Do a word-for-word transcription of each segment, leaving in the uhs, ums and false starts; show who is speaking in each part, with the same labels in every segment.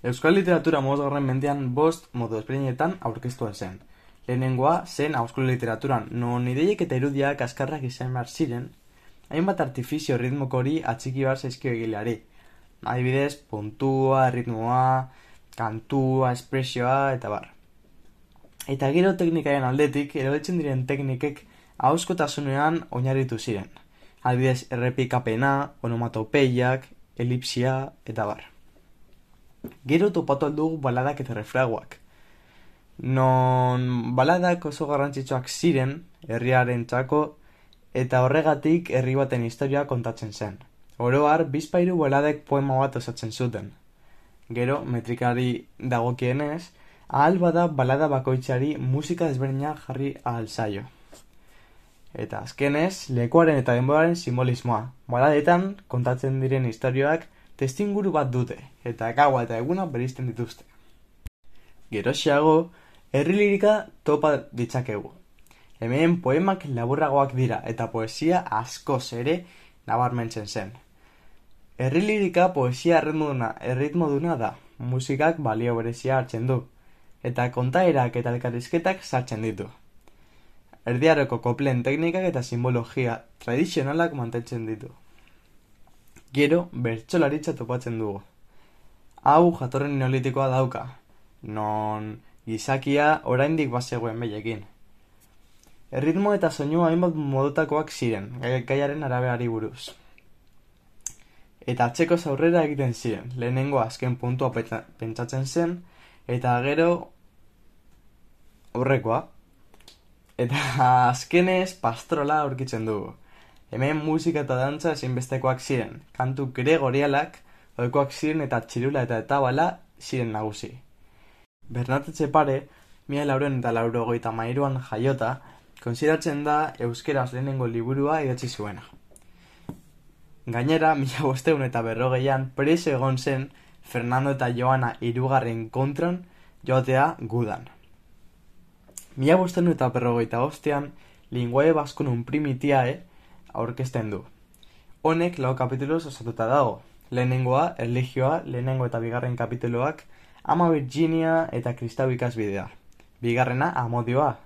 Speaker 1: Euskal literatura hamabosgarren mendean bost modu ezberdinetan aurkeztua zen. Lehenengoa zen ahozko literaturan, non ideiek eta irudiak askarrak izan behar ziren, hainbat artifizio ritmokori atxiki behar zaizkio egileari. Adibidez, puntua, ritmoa, kantua, espresioa, eta bar. Eta gero teknikaren aldetik, erabiltzen diren teknikek ahozkotasunean oinarritu ziren. Adibidez, errepikapena, onomatopeiak, elipsia, eta bar. Gero topatu aldugu baladak eta refraguak. Non baladak oso garrantzitsuak ziren, herriaren txako, eta horregatik herri baten historia kontatzen zen. Oro har, bizpahiru baladek poema bat osatzen zuten. Gero, metrikari dagokienez, ahal bada balada bakoitzari musika desberdina jarri ahal zaio. Eta azkenez, lekuaren eta denboraren simbolismoa. Baladetan, kontatzen diren historioak, testinguru bat dute, eta gaua eta eguna bereizten dituzte. Geroxeago, herri lirika topa ditzakegu. Hemen poemak laburragoak dira, eta poesia askoz ere nabarmentzen zen. Herri lirika poesia erritmoduna, erritmoduna da, musikak balio berezia hartzen du, eta kontaerak eta elkarrizketak sartzen ditu. Erdiaroko koplen teknikak eta simbologia tradizionalak mantentzen ditu. Gero, bertsolaritza topatzen dugu. Hau jatorren neolitikoa dauka, non gizakia oraindik bazegoen behilekin. Erritmo eta soinua hainbat modotakoak ziren, gaiaren araberari buruz. Eta atzeko aurrera egiten ziren, lehenengo azken puntua pentsatzen zen, eta gero aurrekoa. Eta azkenez pastrola aurkitzen dugu. Hemen musika eta dantza ezinbestekoak ziren, kantu gregorialak, ohikoak ziren eta txirula eta etabala ziren nagusi. Bernat Etxepare, mila laurehun eta laurogeita hamairuan jaiota, konsideratzen da euskeraz lehenengo liburua idatzi zuena. Gainera, mila bostehun eta berrogeian preso egon zen Fernando eta Joana hirugarren kontran joatea gudan. Mila bostehun eta berrogeita bostean, Linguae Vasconum Primitiae aurkezten du. Honek lau kapituloz osatuta dago. Lehenengoa, erlijioa, lehenengo eta bigarren kapituloak, Ama Virginia eta Kristau ikasbidea. Bigarrena, amodioa,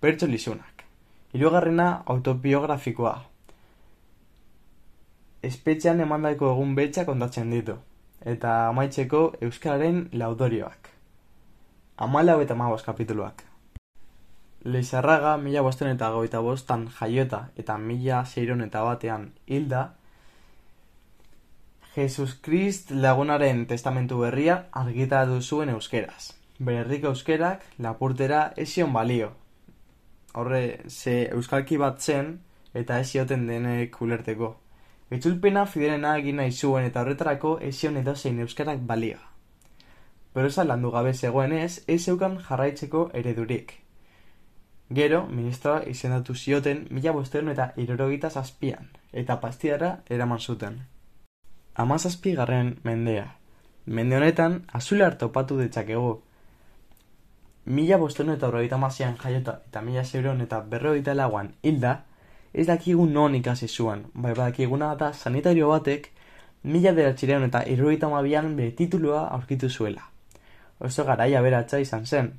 Speaker 1: bertso lizunak. Hirugarrena, autobiografikoa. Espetxean emandako egun beltza kontatzen ditu. Eta amaitzeko euskararen laudorioak. Hamalau eta hamabost kapituluak. Lizarraga mila bostehun eta hogeita bostan jaiota eta mila seiehun eta batean hilda, Jesus Krist lagunaren testamentu berria argitaratu zuen euskeraz. Bere herriko euskerak lapurtera ez zion balio. Horre, ze euskalki bat zen eta ez zioten denek ulerteko. Itzulpena fidelena egin nahi zuen eta horretarako ez zion edozein euskarak balio. Prosa landu gabe zegoenez, ez zeukan jarraitzeko eredurik. Gero, ministroa izendatu zioten mila bostehun eta hirurogeita zazpian, eta pastidara eraman zuten. Hamazazpigarren mendea. Mende honetan, azular topatu ditzakegu. Mila bostehun eta berrogeita hamaseian jaiota eta mila seiehun eta berrogeita lauan hilda, ez dakigu non ikasi zuen, bai badakiguna da sanitario batek mila bederatziehun eta hirurogeita hamabian bere titulua aurkitu zuela. Oso garaia aberatsa izan zen.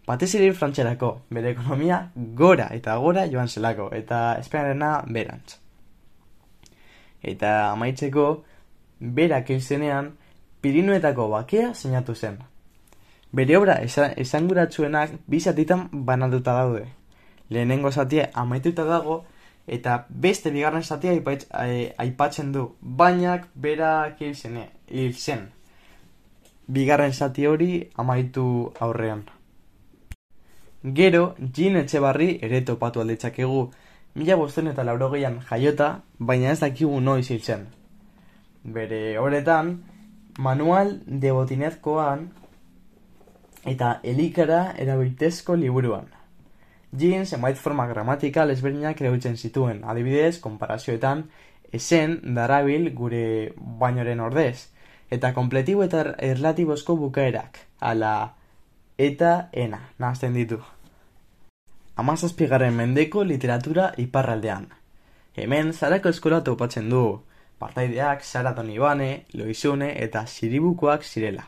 Speaker 1: Batez ere frantserako, bere ekonomia gora eta gora joan zelako, eta esperarena berantz. Eta amaitzeko, berak izenean, Pirinuetako bakea sinatu zen. Bere obra esanguratsuenak bi zatitan banatuta daude. Lehenengo zatia amaituta dago, eta beste bigarren zatia aipatzen du, bainak berak hil zen. Bigarren zati hori amaitu aurrean. Gero, Jean Etxebarri ere topatu alditzakegu, mila bostehun eta laurogeian jaiota, baina ez dakigu noiz hil zen. Bere horretan, Manual de Botinezkoan eta Elikara erabiltezko liburuan. Jean zenbait forma gramatikal ezberdinak erabiltzen zituen, adibidez, konparazioetan, esen darabil gure bainoren ordez, eta kompletibo eta erlatibozko bukaerak, ala eta ena, nahazten ditu. Hamazazpigarren mendeko literatura iparraldean. Hemen Zarako eskola topatzen dugu, partaideak Sara Donibane, Loizune eta Siribukoak zirela.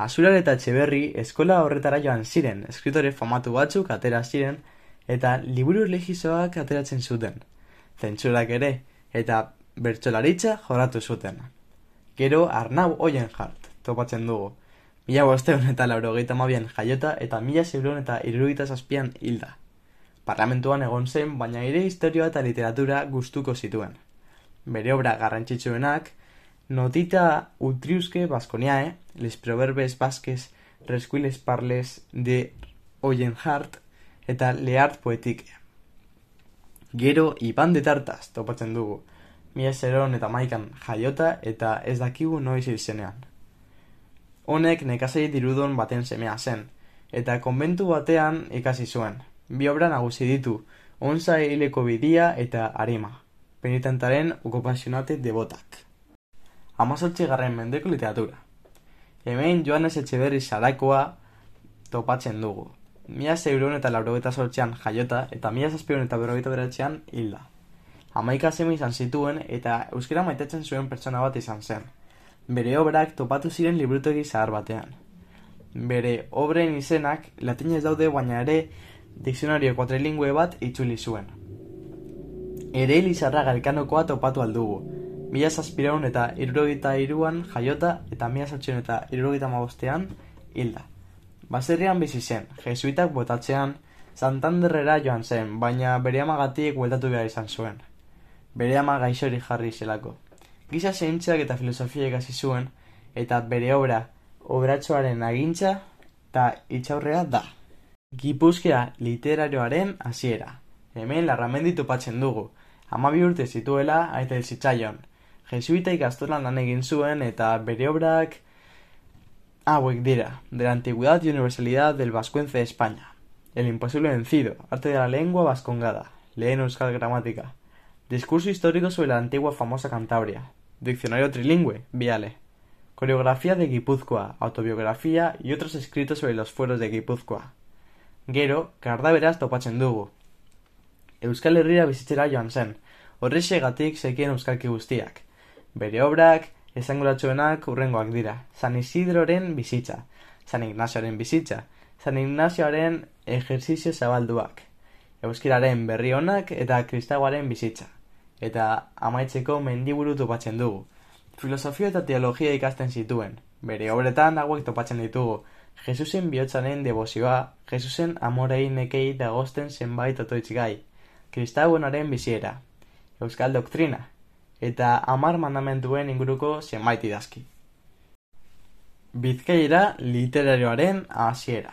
Speaker 1: Azular eta Etxeberri eskola horretara joan ziren, eskritore famatu batzuk atera ziren, eta liburu erlijizoak ateratzen zuten. Zentsurak ere, eta bertsolaritza jorratu zuten. Gero Arnau Oienhart topatzen dugu. Mila bosteun eta laurogeita hamabian jaiota eta mila seiehun eta hirurogeita zazpian hilda. Parlamentuan egon zen, baina ere historia eta literatura gustuko zituen. Bere obra garrantzitsuenak, Notita utriusque Vasconiae, les proverbes basques resquiles parles de Oienhart eta L'Art poétique. Gero Iban de Tartas topatzen dugu. Mila seiehun eta hamaikan jaiota eta ez dakigu noiz hil zenean. Honek nekazari dirudun baten semea zen, eta konbentu batean ikasi zuen. Bi obra nagusi ditu, Onza hileko bidia eta Arima, penitentaren okupazionate devotak. Hamazortzigarren mendeko literatura. Hemen Joanes Etxeberri Sarakoa topatzen dugu. Mila seiehun eta laurogeita zortzian jaiota eta mila zazpiehun eta berrogeita bederatzian hilda. Hamaika seme izan zituen eta euskara maitatzen zuen pertsona bat izan zen. Bere obrak topatu ziren liburutegi zahar batean. Bere obren izenak latinez daude, baina ere dikzionario kuatrilingüe bat itzuli zuen. Ere Lizarraga Elkanokoa topatu aldugu. Mila zazpiehun eta hirurogeita hiruan jaiota eta mila zortziehun eta hirurogeita hamabostean hilda. Baserrian bizi zen, jesuitak botatzean Santanderrera joan zen, baina bere amagatik bueltatu behar izan zuen. Bere ama gaixori jarri zelako. Giza zientziak eta filosofia ikasi zuen, eta bere obra obratxoaren agintza eta itxaurrea da. Gipuzkoa literarioaren hasiera. Hemen Larramendi topatzen dugu. Hamabi urte zituela aita hil zitzaion. Jesuita ikastolan lan egin zuen eta bere obrak hauek dira: de la antigüedad y universalidad del vascuence de España, El imposible vencido, arte de la lengua vascongada, Lehen euskal gramática, discurso histórico sobre la antigua famosa Cantabria, diccionario trilingüe, Viale, coreografía de Guipúzcoa, autobiografía y otros escritos sobre los fueros de Guipúzcoa. Gero, kardaberaz topatzen dugu. Euskal Herria bizitzera joan zen, horrexegatik zekien euskalki guztiak. Bere obrak esanguratsuenak hurrengoak dira: San Isidroren bizitza, San Ignazioaren bizitza, San Ignazioaren ejerzizio zabalduak, euskiraren berri onak eta kristagoaren bizitza. Eta amaitzeko mendiburu topatzen dugu. Filosofia eta teologia ikasten zituen. Bere obretan hauek topatzen ditugu: Jesusen bihotzaren debozioa, Jesusen amorei nekei dagozten zenbait otoitz gai, Kristagonaren biziera, euskal doktrina, eta hamar mandamentuen inguruko zenbait idazki. Bizkaira literarioaren hasiera.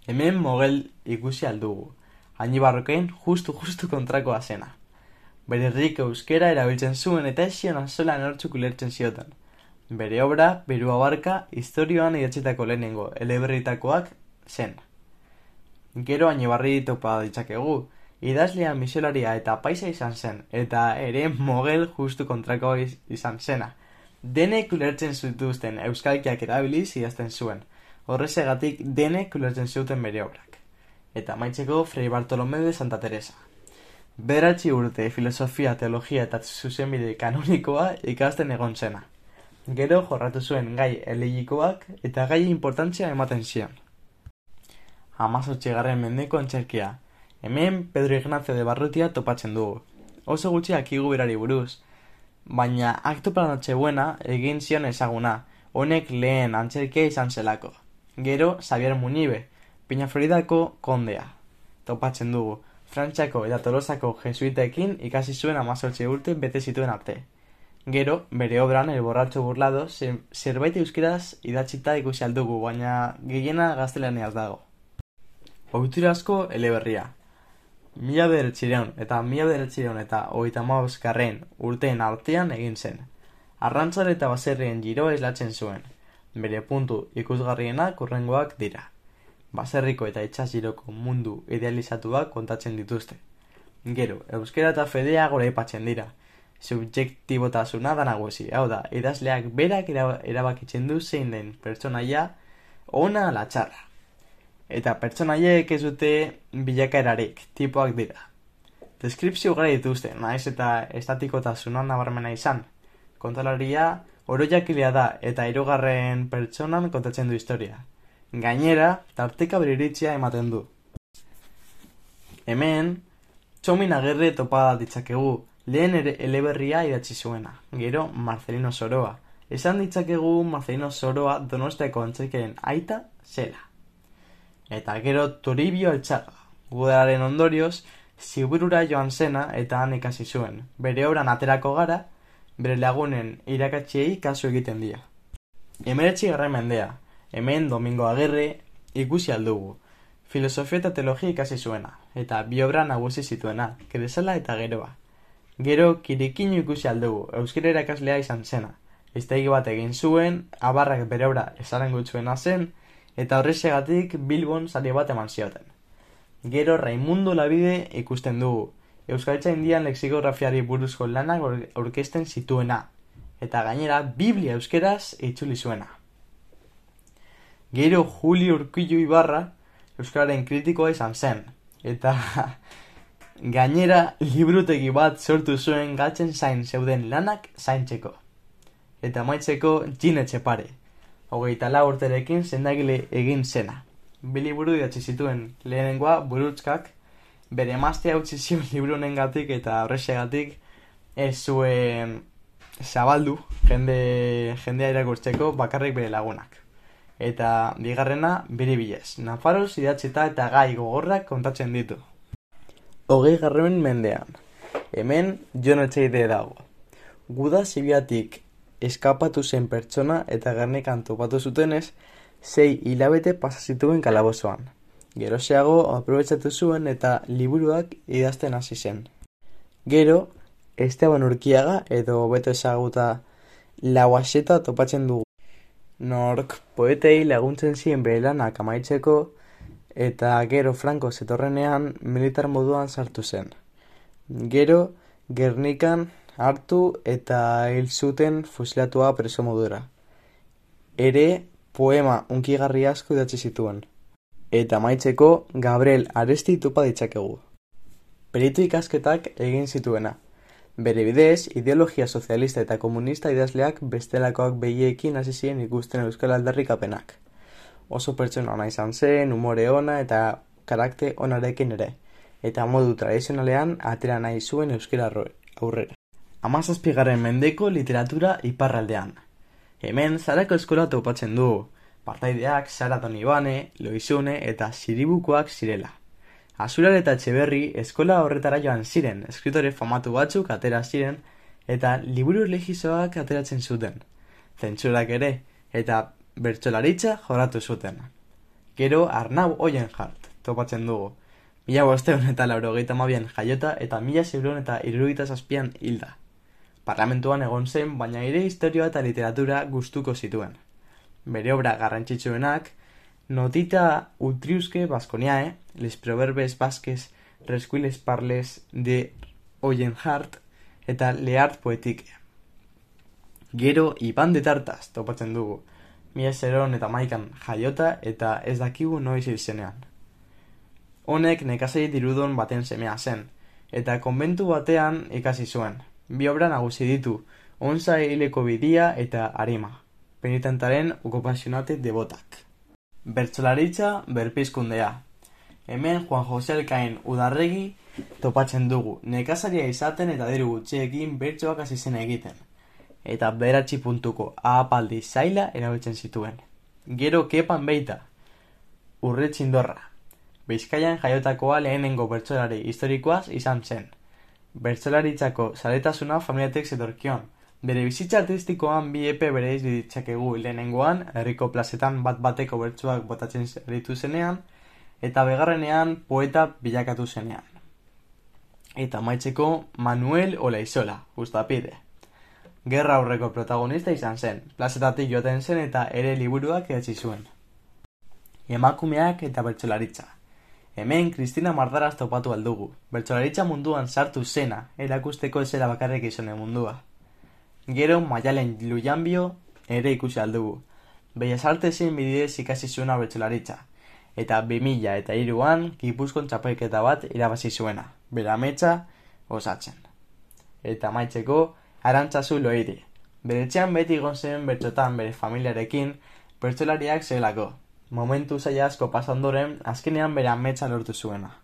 Speaker 1: Hemen mogel ikusi aldugu. Añibarroken justu-justu kontrakoa zena. Bere herriko euskera erabiltzen zuen eta esion azola nortzuk ulertzen zioten. Bere obra, Beru abarka, historioan idatzitako lehenengo eleberritakoak zen. Gero Añibarri topa ditzakegu. Idazlea, misolaria eta paisa izan zen, eta ere mogel justu kontrakoa izan zena. Denek ulertzen zituzten euskalkiak erabiliz idazten zuen. Horrezegatik denek ulertzen zuten bere obrak. Eta amaitzeko Fray Bartolomé de Santa Teresa. Bederatzi urte filosofia, teologia eta zuzenbide kanonikoa ikasten egon zena. Gero jorratu zuen gai elegikoak eta gai importantzia ematen zion. Hamazortzigarren mendeko antzerkia. Hemen Pedro Ignacio de Barrutia topatzen dugu. Oso gutxi akigu berari buruz, baina Akto para Nochebuena egin zion ezaguna, honek lehen antzerkia izan zelako. Gero Xavier Munibe, Peñafiordako kondea topatzen dugu. Frantziako eta Tolosako jesuitekin ikasi zuen hamazortzi urte bete zituen arte. Gero, bere obran El borracho burlado zerbait euskaraz idatzita ikusi aldugu, baina gehiena gaztelaniaz dago. Ohiturazko eleberria. Mila bederatziehun eta mila bederatziehun eta hogeita hamabosgarren urteen artean egin zen. Arrantzale eta baserrien giroa islatzen zuen. Bere puntu ikusgarrienak hurrengoak dira. Baserriko eta itsas giroko mundu idealizatuak kontatzen dituzte. Gero, euskera eta fedea goraipatzen dira. Subjektibotasuna da nagusi, hau da, idazleak berak erabakitzen du zein den pertsonaia ona ala txarra. Eta pertsonaiek ez dute bilakaerarik, tipoak dira. Deskripzio gara dituzte, naiz eta estatikotasuna nabarmena izan. Kontalaria oroiakilea da eta hirugarren pertsonan kontatzen du historia. Gainera, tarteka bere iritzia ematen du. Hemen, Txomin Agirre topa ditzakegu, lehen ere eleberria idatzi zuena, gero Marcelino Soroa. Esan ditzakegu Marcelino Soroa Donostiako antzerkiaren aita zela. Eta gero Toribio Altxaga, gudararen ondorioz, Ziburura joan zena eta han ikasi zuen. Bere obran aterako gara, bere lagunen irakatziei kasu egiten dira. Hemeretzi garren mendea, hemen Domingo Agirre ikusi aldugu. Filosofia eta teologia ikasi zuena, eta bi obra nagusi zituena, Kresala eta Geroa. Gero Kirikino ikusi aldugu, euskara irakaslea izan zena. Hiztegi bat egin zuen, abarrak bere obra esaren gutzuena zen, eta horrexegatik Bilbon sari bat eman zioten. Gero Raimundo Labide ikusten dugu, euskaltzaindian lexikografiari buruzko lanak aurkezten zituena, eta gainera Biblia euskeraz itzuli zuena. Gero Julio Urkullu Ibarra euskararen kritikoa izan zen, eta gainera liburutegi bat sortu zuen gatzen zain zeuden lanak zaintzeko. Eta amaitzeko Jin Etxepare, hogeita lau urterekin sendagile egin zena. Bi liburu idatzi zituen, lehenengoa Burutzkak, bere emaztea utzi zion liburu honengatik eta horrexegatik ez zuen zabaldu jende, jendea irakurtzeko bakarrik bere lagunak. Eta bigarrena Biribilez, Nafaroz idatzita eta gai gogorrak kontatzen ditu. Hogei garren mendean, hemen Jon Etxeide dago. Guda Zibiatik eskapatu zen pertsona eta Gernikan topatu zutenez, sei hilabete pasa zituen kalabozoan. Geroxeago aprobetxatu zuen eta liburuak idazten hasi zen. Gero, Esteban Urkiaga edo hobeto ezaguta Lauaxeta topatzen dugu. Nork poetei laguntzen zien bere lanak amaitzeko eta gero Franco zetorrenean militar moduan sartu zen. Gero, Gernikan hartu eta hil zuten fusilatua preso modura. Ere, poema unkigarri asko idatzi zituen. Eta amaitzeko Gabriel Aresti topa ditzakegu. Peritu ikasketak egin zituena. Bere bidez, ideologia sozialista eta komunista idazleak bestelakoak behiekin hasi ziren ikusten euskal aldarrikapenak. Oso pertsona ona izan zen, umore ona eta karakter onarekin ere. Eta modu tradizionalean atera nahi zuen euskara aurrera. Hamazazpigarren mendeko literatura iparraldean. Hemen Zarako eskola topatzen du. Partaideak Sara Donibane, Loizune eta Siribukoak zirela. Azular eta Etxeberri eskola horretara joan ziren, eskritore famatu batzuk atera ziren eta liburu erlijizoak ateratzen zuten. Zentsurak ere, eta bertsolaritza joratu zuten. Gero Arnau Oienhart topatzen dugu. Mila bosteun eta laurogeita hamabian jaiota eta mila seiehun eta hirurogeita zazpian hilda. Parlamentuan egon zen, baina ere historia eta literatura gustuko zituen. Bere obra garrantzitsuenak, Notita Utriusque Basconiae, Les Proverbes Basques Resquiles Parles de Oienhart eta L'Art Poetique. Gero Iban de Tartas topatzen dugu, mila seiehun eta hamaikan jaiota eta ez dakigu noiz hil zenean. Honek nekazari dirudun baten semea zen, eta konbentu batean ikasi zuen. Bi obra nagusi ditu, Onza hileko bidia eta Arima, penitentaren okupazionate devotak. Bertsolaritza berpizkundea. Hemen Juan Jose Elkain Udarregi topatzen dugu, nekazaria izaten eta diru gutxiekin bertsoak hasi zen egiten. Eta bederatzi puntuko ahapaldi zaila erabiltzen zituen. Gero Kepan Beita, Urretxindorra. Bizkaian jaiotakoa lehenengo bertsolari historikoaz izan zen. Bertsolaritzako zaletasuna familiatek zetorkion. Bere bizitza artistikoan bi epe bereiz ditzakegu, lehenengoan, herriko plazetan bat bateko bertsoak botatzen aritu zenean, eta begarrenean poeta bilakatu zenean. Eta amaitzeko Manuel Olaizola, Ustapide. Gerra aurreko protagonista izan zen, plazetatik joaten zen eta ere liburuak idatzi zuen. Emakumeak eta bertsolaritza. Hemen Kristina Mardaraz topatu aldugu, bertsolaritza munduan sartu zena, erakusteko ezera bakarrik izone mundua. Gero Maialen Lujanbio ere ikusi aldugu, Bellas Artesen bidez ikasi zuena bertsolaritza, eta bi mila eta hiruan Gipuzkoan txapelketa bat irabazi zuena, bere ametsa osatzen. Eta amaitzeko Arantzazu Loiri, Bere etxean beti egon zen bertsotan bere familiarekin, bertsolariak zelako. Momentu zaila asko pasa ondoren, azkenean bere ametsa lortu zuena.